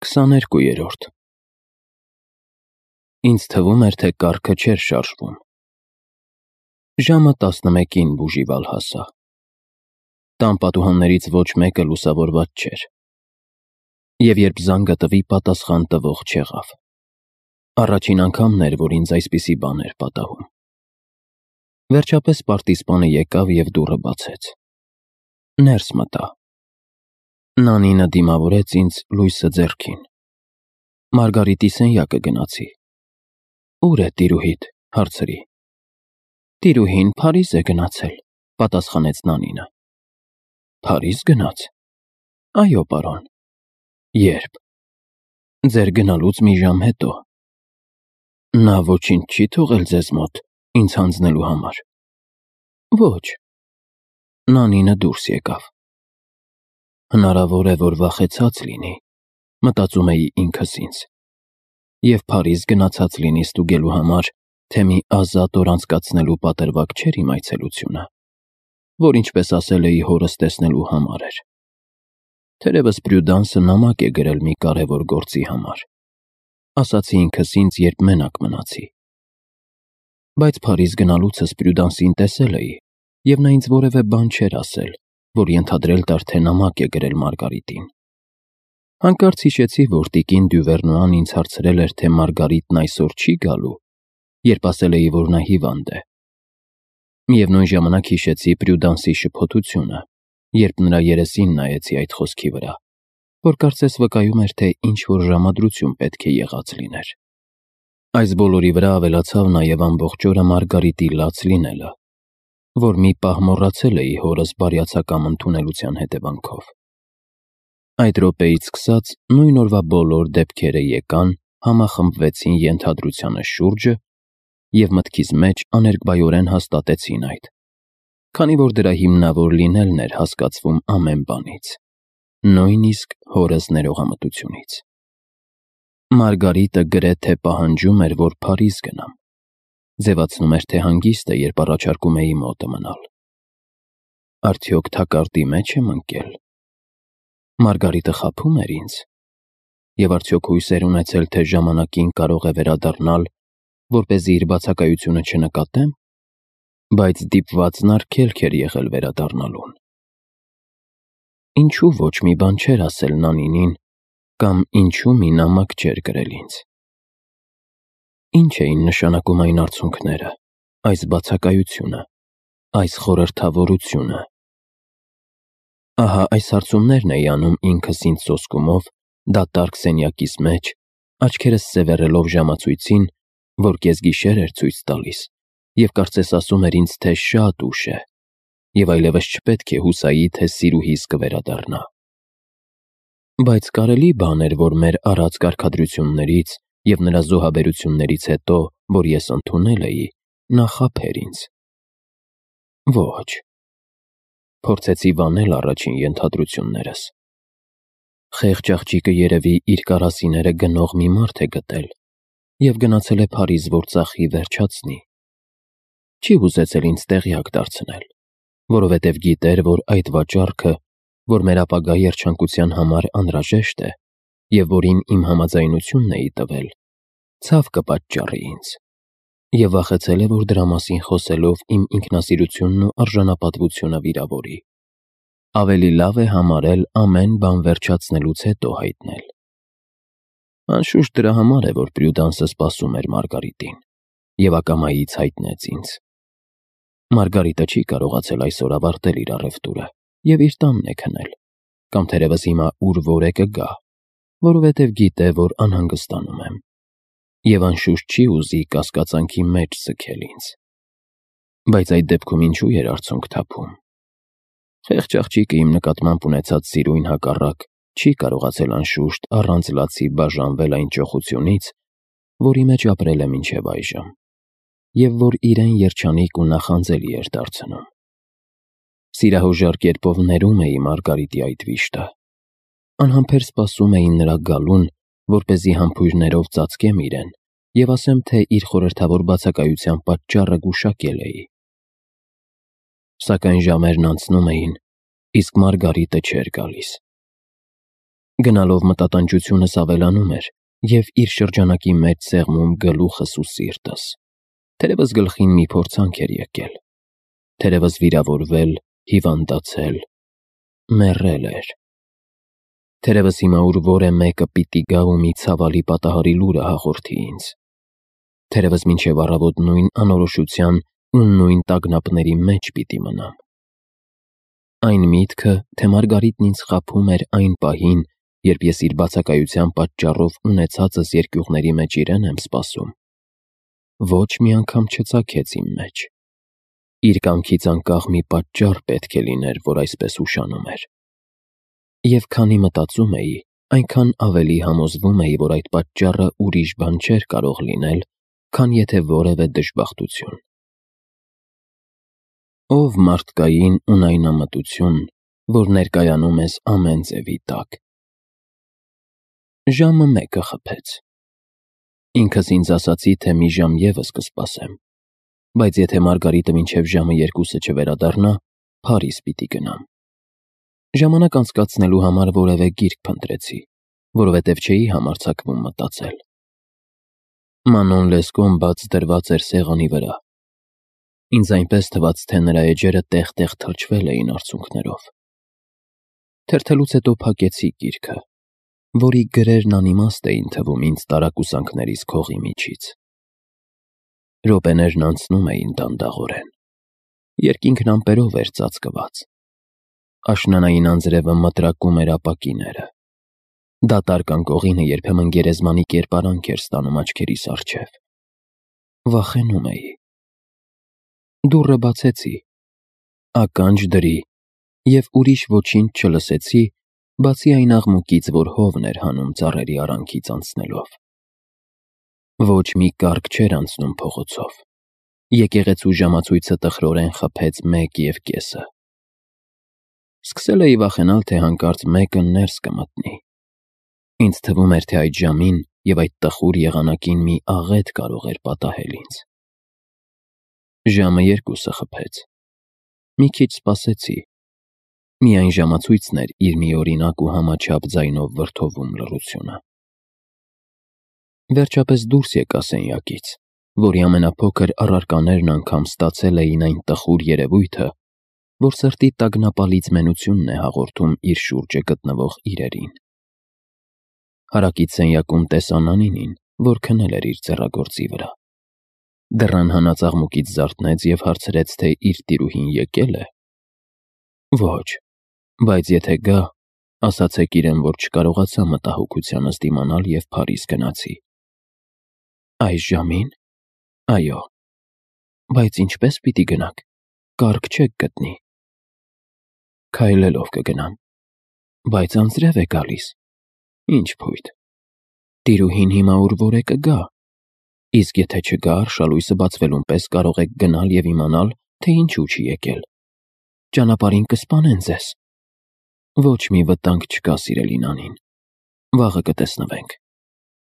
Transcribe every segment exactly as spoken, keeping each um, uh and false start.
քսաներկուերորդ Ինձ թվում էր, թե կառքը չէր շարժվում։ Ժամը տասնմեկին բուժիվալ հասա։ Տան պատուհաններից ոչ մեկը լուսավորված չէր։ Եվ երբ զանգը տվի, պատասխան տվող չեղավ։ Առաջին անգամն էր, որ ինձ այսպիսի բան էր պատահում։ Վերջապես պարտիզպանը եկավ և դուռը բացեց։ Ներս մտա։ Նանինը դիմավորեց ինձ լույսը ձեռքին։ Մարգարիտի սենյակը գնացի։ Ո՞ւր է տիրուհիդ, հարցրի։ Տիրուհին Փարիզ է գնացել, պատասխանեց Նանինը։ Փարիզ գնաց։ Այո, պարոն։ Ե՞րբ։ Ձեր գնալուց մի ժամ հետո։ Նա ոչինչ չի թողել ձեզ մոտ, ինձ հանձնելու համար։ Ոչ։ Նանինը դուրս եկավ։ Հնարավոր է, որ վախեցած լինի, մտածում էի ինքս ինձ, և Փարիզ գնացած լինի ստուգելու համար, թե մի ազատ օր անցկացնելու պատրվակ չէր իմ այցելությունը, որ ինչպես ասել էի հորս տեսնելու համար էր։ Թերևս Պրյուդանսը նամակ է գրել մի կարևոր գործի համար, ասացի ինքս ինձ, երբ մենակ մնացի։ Բայց Փարիզ գնալուցս Պրյուդանսին տեսել էի, և նա ինձ որևէ բան չէր ասել, որ ենթադրել տար, թե նամակ է գրել Մարգարիտին։ Հանկարծ հիշեցի, որ տիկին Դյուվերնուան ինձ հարցրել էր, թե Մարգարիտն այսօր չի գալու, երբ ասել էի, որ նա հիվանդ է։ Միևնույն ժամանակ հիշեցի Պրյուդանսի շփոթությունը, երբ նրա երեսին նայեցի այդ խոսքի վրա, որ կարծես վկայում էր, թե ինչ-որ ժամադրություն պետք է եղած լիներ։ Այս բոլորի վրա ավելացավ նաև ամբողջ օրը Մարգարիտի լաց լինելը, որ մի պահ մոռացել էի հորս բարյացակամ ընդունելության հետևանքով։ Այդ րոպեից սկսած նույն օրվա բոլոր դեպքերը եկան, համախմբվեցին ենթադրությանը շուրջը և մտքիս մեջ աներկբայորեն հաստատեցին այդ, քանի որ դրա հիմնավոր լինելն էր հասկացվում ամեն բանից, նույնիսկ հորս ներողամտությունից։ Մարգարիտը գրեթե պահանջում էր, որ Փարիզ գնամ, ձևացնում էր, թե հանգիստ է, երբ առաջարկում էի մոտը մնալ։ Արդյոք թակարդի մեջ եմ ընկել։ Մարգարիտը խաբում էր ինձ, և արդյոք հույս էր ունեցել, թե ժամանակին կարող է վերադառնալ, որպեսզի իր բացակայությունը չնկատեմ, բայց դիպվածն արգելք էր եղել վերադառնալուն։ Ինչու ոչ մի բան չէր ասել Նանինին, կամ ինչու մի նամակ չէր գրել ինձ։ Ինչ էին նշանակում այն արցունքները, այս բացակայությունը, այս խորհրդավորությունը։ Ահա այս հարցումներն էի անում ինքս ինձ սոսկումով, դատարկ սենյակիս մեջ, աչքերս սևեռելով ժամացույցին, որ կեսգիշեր էր ցույց տալիս, և կարծես ասում էր ինձ, թե շատ ուշ է, և այլևս չպետք է հուսայի, թե սիրուհիս կվերադառնա։ Բայց կարելի բան էր, որ մեր առած կարգադրություններից և նրա զոհաբերություններից հետո, որ ես ընդունել էի, նա խաբեր ինձ։ Ոչ։ Փորձեցի վանել առաջին ենթադրություններս։ Խեղճ աղջիկը երևի իր կարասիները գնող մի մարդ է գտել և գնացել է Փարիզ, որ ծախի վերջացնի։ Չի ուզեցել ինձ տեղյակ դարձնել, որովհետև գիտեր, որ այդ վաճառքը, որ մեր ապագա երջանկության համար անհրաժեշտ է, և որին իմ համաձայնությունն էի տվել, ցավ կպատճառի ինձ, և վախեցել է, որ դրա մասին խոսելով իմ ինքնասիրությունն ու արժանապատվությունը վիրավորի։ Ավելի լավ է համարել ամեն բան վերջացնելուց հետո հայտնել։ Անշուշտ դրա համար է, որ Պրյուդանսը սպասում էր Մարգարիտին և ակամայից հայտնեց ինձ։ Մարգարիտը չի կարողացել այսօր ավարտել իր առևտուրը և իր տանն է քնել, կամ թերևս հիմա ուր որ է կգա, որովհետև գիտե, որ անհանգստանում եմ, և անշուշտ չի ուզի կասկածանքի մեջ ձգել ինձ։ Բայց այդ դեպքում ինչու էր արցունք թափում։ Խեղճ աղջիկը իմ նկատմամբ ունեցած սիրույն հակառակ չի կարողացել անշուշտ առանց լացի բաժանվել այն ճոխությունից, որի մեջ ապրել է մինչև այժմ, և որ իրեն երջանիկ ու նախանձելի էր դարձնում։ Սիրահոժար կերպով ներում էի Մարգարիտի այդ վիշտը, անհամբեր սպասում էի նրա գալուն, որպեսզի համբույրներով ծածկեմ իրեն և ասեմ, թե իր խորհրդավոր բացակայության պատճառը գուշակել էի։ Սակայն ժամերն անցնում էին, իսկ Մարգարիտը չէր գալիս։ Գնալով մտատանջությունս ավելանում էր և իր շրջանակի մեջ սեղմում գլուխս ու սիրտս։ Թերևս գլխին մի փորձանք էր եկել, թերևս վիրավորվել, հիվանդացել, մեռել էր։ Թերևս հիմա ուր որե մեկը պիտի գա ու մի ցավալի պատահարի լուրը հաղորդի ինձ։ Թերևս մինչև առավոտ նույն անորոշության ու նույն տագնապների մեջ պիտի մնամ։ Այն միտքը, թե Մարգարիտն ինձ խաբում էր այն պահին, երբ ես իր բացակայության պատճառով ունեցածս երկյուղների մեջ իրեն եմ սպասում, ոչ մի անգամ չծագեց իմ մեջ։ Իր կամքից անկախ մի պատճառ պետք է լիներ, որ այսպես ուշանում էր։ Եվ քանի մտածում էի, այնքան ավելի համոզվում էի, որ այդ պատճառը ուրիշ բան չէր կարող լինել, քան եթե որևէ դժբախտություն։ Ով մարդկային ունայնամտություն, որ ներկայանում ես ամեն ձևի տակ։ Ժամը մեկը խփեց։ Ինքս ինձ ասացի, թե մի ժամ ևս կսպասեմ, բայց եթե Մարգարիտը մինչև ժամը երկուսը չվերադառնա, Փարիզ պիտի գնամ։ Ժամանակ անցկացնելու համար որևէ գիրք փնտրեցի, որովհետև չէի համարձակվում մտածել։ Մանոն Լեսկոն բաց դրված էր սեղանի վրա։ Ինձ այնպես թվաց, թե նրա էջերը տեղ-տեղ թրջվել էին արցունքներով։ Թերթելուց հետո փակեցի գիրքը, որի գրերն անիմաստ էին թվում ինձ տարակուսանքներիս քողի միջից։ Րոպեներն անցնում էին դանդաղորեն։ Երկինքն ամպերով էր ծածկված։ Աշնանային անձրևը մտրակում էր ապակիները։ Դատարկ անկողինը երբեմն գերեզմանի կերպարանք էր ստանում աչքերիս առջև։ Վախենում էի։ Դուռը բացեցի, ականջ դրի և ուրիշ ոչինչ չլսեցի, բացի այն աղմուկից, որ հովն էր հանում ծառերի արանքից անցնելով։ Ոչ մի կառք չէր անցնում փողոցով։ Եկեղեցու ժամացույցը տխրորեն խփեց մեկ և կեսը։ Սկսել էի վախենալ, թե հանկարծ մեկը ներս կմտնի։ Ինձ թվում էր, թե այդ ժամին և այդ տխուր եղանակին մի աղետ կարող էր պատահել ինձ։ Ժամը երկուսը խփեց։ Մի քիչ սպասեցի։ Միայն ժամացույցն էր իր միօրինակ ու համաչափ ձայնով վրդովում լռությունը։ Վերջապես դուրս եկա սենյակից, որի ամենափոքր առարկաներն անգամ ստացել էին այն տխուր երևույթը, որ սրտի տագնապալից մենությունն է հաղորդում իր շուրջը գտնվող իրերին։ Հարակից սենյակում տեսա Նանինին, որ քնել էր իր ձեռագործի վրա։ Դռան հանած աղմուկից զարթնեց և հարցրեց, թե իր տիրուհին եկե՞լ է։ Ոչ, բայց եթե գա, ասացեք իրեն, որ չկարողացա մտահոգությանս դիմանալ և Փարիզ գնացի։ Այս ժամին։ Այո։ Բայց ինչպե՞ս պիտի գնաք, կառք չեք գտնի։ Քայլելով կգնամ։ Բայց անձրև է գալիս։ Ինչ փույթ։ Տիրուհին հիմա ուր որ է կգա։ Իսկ եթե չգա, արշալույսը բացվելուն պես կարող եք գնալ և իմանալ, թե ինչու չի եկել։ Ճանապարհին կսպանեն ձեզ։ Ոչ մի վտանգ չկա, սիրելի Նանին։ Վաղը կտեսնվենք։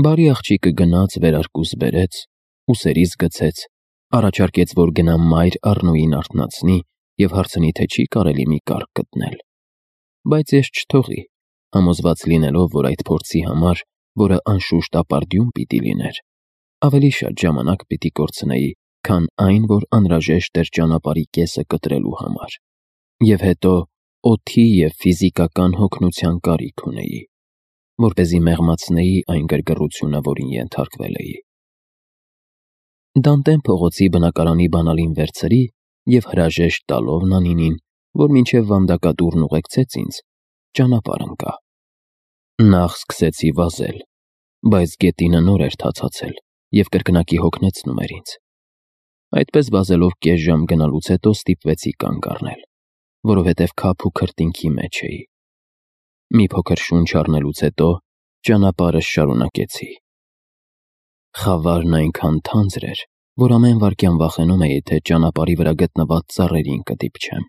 Բարի աղջիկը գնաց, վերարկուս բերեց, ուսերիս գցեց, առաջարկեց, որ գնամ մայր Առնոյին արթնացնի և հարցնի, թե չի կարելի մի կառք գտնել։ Բայց ես չթողի, համոզված լինելով, որ այդ փորձի համար, որը անշուշտ ապարդյուն պիտի լիներ, ավելի շատ ժամանակ պիտի կորցնեի, քան այն, որ անհրաժեշտ էր ճանապարհի կեսը կտրելու համար։ Եվ հետո օդի և ֆիզիկական հոգնության կարիք ունեի, որպեսզի մեղմացնեի այն գրգռությունը, որին ենթարկվել էի։ Դանտեն փողոցի բնակարանի բանալին վերցրի և հրաժեշտ տալով Նանինին, որ մինչև վանդակադուռն ուղեկցեց ինձ, ճանապարհ ընկա։ Նախ սկսեցի վազել, բայց գետինը նոր էր թացացել և կրկնակի հոգնեցնում էր ինձ։ Այդպես վազելով կես ժամ գնալուց հետո ստիպվեցի կանգ առնել, որովհետև քափ ու քրտինքի մեջ էի։ Մի փոքր շունչ առնելուց հետո ճանապարհս շարունակեցի։ Խավարն այնքան թանձր էր, որ ամեն վայրկյան վախենում էի, թե ճանապարհի վրա գտնված ծառերին կդիպչեմ,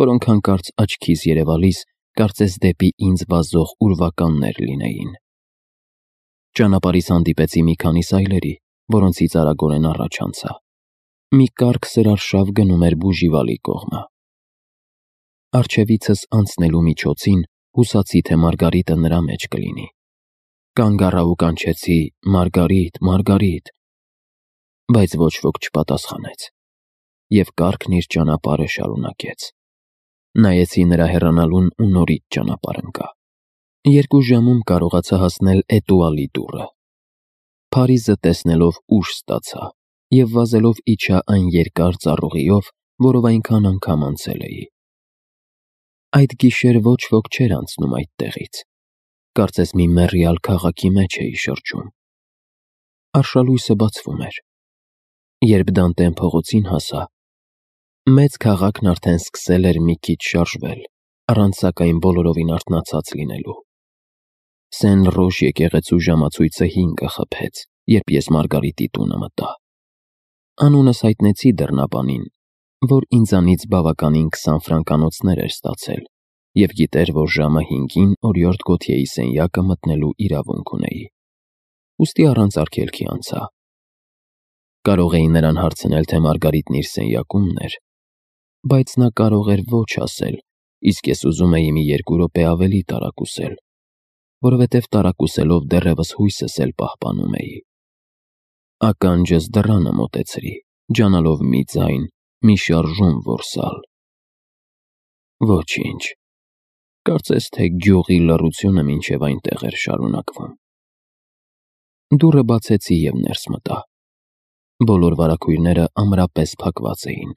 որոնք հանկարծ աչքիս երևալիս կարծես դեպի ինձ վազող ուրվականներ լինեին։ Ճանապարհից հանդիպեցի մի քանի սայլերի, որոնցից արագորեն առաջ անցա։ Մի կառք սրարշավ գնում էր Բուժիվալի կողմը։ Առջևիցս անցնելու միջոցին Հուսացի, թե Մարգարիտը նրա մեջ կլինի։ Կանգ առա ու կանչեցի. «Մարգարիտ, Մարգարիտ», բայց ոչ ոք չպատասխանեց, և կառքն իր ճանապարհը շարունակեց։ Նայեցի նրա հեռանալուն ու նորից ճանապարհ ընկա։ Երկու ժամում կարողացա հասնել Էտուալի դուռը։ Փարիզը տեսնելով ուժ ստացա և վազելով իջա այն երկար ծառուղիով, որով այնքան անգամ անցել էի։ Այդ գիշեր ոչ ոք չէր անցնում այդտեղից, կարծես մի մեռյալ քաղաքի մեջ էի շրջում։ Արշալույսը բացվում էր։ Երբ Դանտեն փողոցին հասա, մեծ քաղաքն արդեն սկսել էր մի քիչ շարժվել, առանց սակայն բոլորովին արթնացած լինելու։ Սեն Ռոժ եկեղեցու ժամացույցը հինգը խփեց, երբ ես Մարգարիտի տունը մտա։ Անունս հայտնեցի դռնապանին, որ ինձանից բավականին քսան ֆրանկանոցներ էր ստացել և գիտեր, որ ժամը հինգին օրիորդ Գոթյեի սենյակը մտնելու իրավունք ունեի։ Ուստի առանց արգելքի անցա։ Կարող էի նրան հարցնել, թե Մարգարիտն իր սենյակումն էր, բայց նա կարող էր ոչ ասել, իսկ ես ուզում էի մի երկու րոպե ավելի տարակուսել, որովհետև տարակուսելով դեռևս հույսս էլ պահպանում էի։ Ականջս դռանը մոտեցրի, ջանալով մի ձայն, մի շարժում որսալ։ Ոչինչ, կարծես թե գյուղի լռությունը մինչև այնտեղ էր շարունակվում։ Դուռը բացեցի և ներս մտա։ Բոլոր վարագույրները ամրապես փակված էին։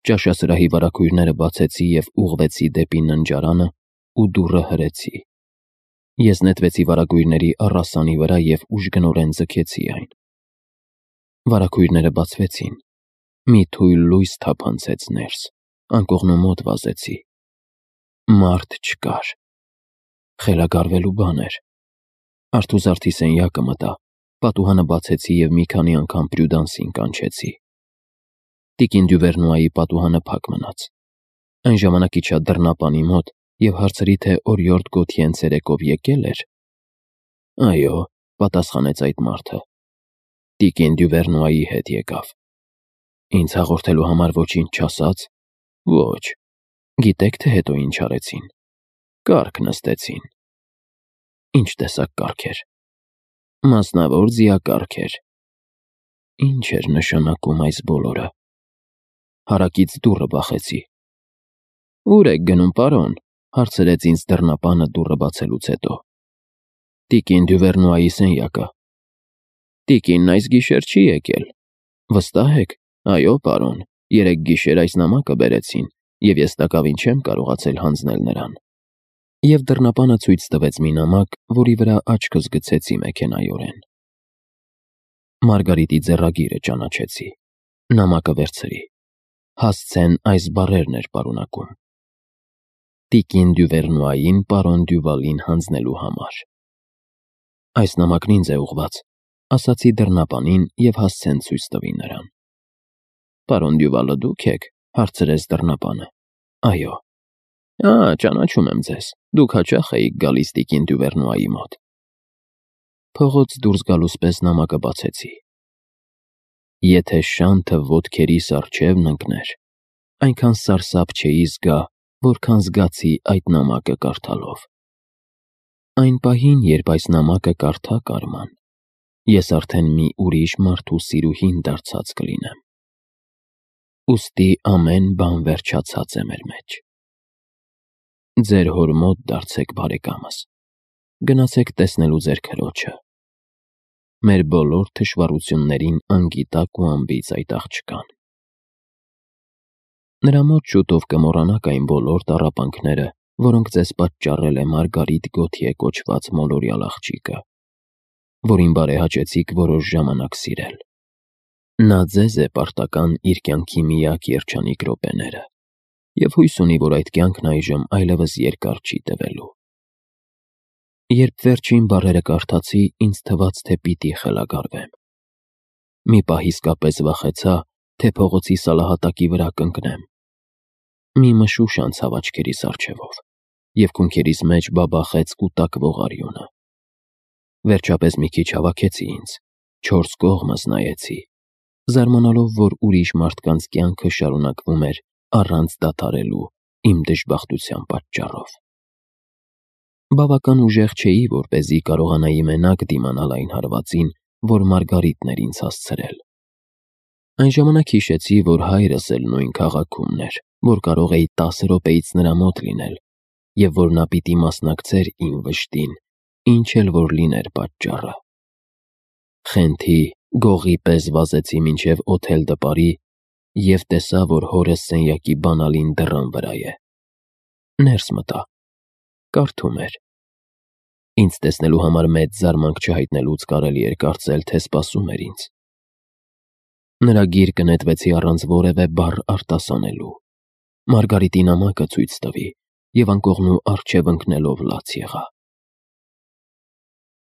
Ճաշասրահի վարագույրները բացեցի և ուղղվեցի դեպի ննջարանը ու դուռը հրեցի։ Ես նետվեցի վարագույրների առասանի վրա և ուժգնորեն ձգեցի այն։ Վարագույրները բացվեցին։ Մի թույլ լույս թափանցեց ներս, անկողնու մոտ վազեցի։ Մարդ չկար։ Խելագարվելու բան էր։ Արթուզարդի սենյակը մտա, պատուհանը բացեցի և մի քանի անգամ Պրյուդանսին կանչեցի։ Տիկին Դյուվերնուայի պատուհանը փակ մնաց։ Այն ժամանակ իջա դռնապանի մոտ և հարցրի, թե օրիորդ Գոթյեն ցերեկով եկե՞լ էր։ Այո, պատասխանեց այդ մարդը։ Տիկին Դյուվերնուայի հետ եկավ։ Ինձ հաղորդելու համար ոչինչ չասաց։ Ոչ։ Գիտեք, թե հետո ինչ արեցին։ Կառք նստեցին։ Ինչ տեսակ կառք էր։ Մասնավոր ձիակառք էր։ Ինչ էր նշանակում այս բոլորը։ Հարակից դուռը բախեցի։ Ո՞ւր եք գնում, պարոն, հարցրեց ինձ դռնապանը դուռը բացելուց հետո։ Տիկին Դյուվերնուայի սենյակը։ Տիկինն այս գիշեր չի եկել։ Վստահ եք։ Այո, պարոն, երեկ գիշեր այս նամակը բերեցին, և ես տակավին չեմ կարողացել հանձնել նրան։ Եվ դռնապանը ցույց տվեց մի նամակ, որի վրա աչքս գցեցի մեքենայորեն։ Մարգարիտի ձեռագիրը ճանաչեցի։ Նամակը վերցրի։ Հասցեն այս բառերն էր պարունակում. Տիկին Դյուվերնուային պարոն Դյուվալին հանձնելու համար։ Այս նամակն ինձ է ուղղված, ասացի դռնապանին և հասցեն ցույց տվի նրան։ Պարոն Դյուվալը դուք եք, հարցրեց դռնապանը։ Այո։ Ա, ճանաչում եմ ձեզ, դուք հաճախ էիք գալիս տիկին Դյուվերնուայի մոտ։ Փողոց դուրս գալուս պես նամակը բացեցի։ Եթե շանթը ոտքերիս առջևն ընկներ, այնքան սարսափ չէի զգա, որքան զգացի այդ նամակը կարդալով։ Այն պահին, երբ այս նամակը կարդա Կարման, ես արդեն մի ուրիշ մարդու սիրուհին դարձած կլինեմ։ Ուստի ամեն բան վերջացած է մեր մեջ։ Ձեր հոր մոտ դարձեք բարեկամս։ Գնացեք տեսնելու ձեր քրոջը։ Մեր բոլոր թշվառություններին անգիտակ ու անբիծ այդ աղջկան։ Նրա մոտ շուտով կմոռանաք այն բոլոր տառապանքները, որոնք ձեզ պատճառել է Մարգարիտ Գոթյե կոչված մոլորյալ աղջիկը, որին բարեհաճեցիք որոշ ժամանակ սիրել։ Նա ձեզ է պարտական իր կյանքի միակ երջանիկ րոպեները, և հույս ունի, որ այդ կյանքն այժմ այլևս երկար չի տևելու։ Երբ վերջին բառերը կարդացի, ինձ թվաց, թե պիտի խելագարվեմ։ Մի պահ իսկապես վախեցա, թե փողոցի սալահատակի վրա կընկնեմ։ Մի մշուշ անցավ աչքերիս առջևով, և քունքերիս մեջ բաբախեց կուտակվող արյունը։ Վերջապես մի քիչ հավաքեցի ինձ, չորս կողմս նայեցի, զարմանալով, որ ուրիշ մարդկանց կյանքը շարունակվում էր առանց դադարելու իմ դժբախտության պատճառով։ Բավական ուժեղ չէի, որպեսզի կարողանայի մենակ դիմանալ այն հարվածին, որ Մարգարիտն էր ինձ հասցրել։ Այն ժամանակ հիշեցի, որ հայրս էլ նույն քաղաքումն էր, որ կարող էի տասը րոպեից նրա մոտ լինել, և որ նա պիտի մասնակցեր իմ վշտին, ինչ էլ որ լիներ պատճառը։ Խենթի, գողի պես վազեցի մինչև օթել դպարի և տեսա, որ հորս սենյակի բանալին դռան վրա է։ Ներս մտա։ Կարդում էր։ Ինձ տեսնելու համար մեծ զարմանք չհայտնելուց կարելի էր կարծել, թե սպասում էր ինձ։ Նրա գիրկը նետվեցի առանց որևէ բառ արտասանելու։ Մարգարիտի նամակը ցույց տվի և անկողնու առջև ընկնելով լաց եղա։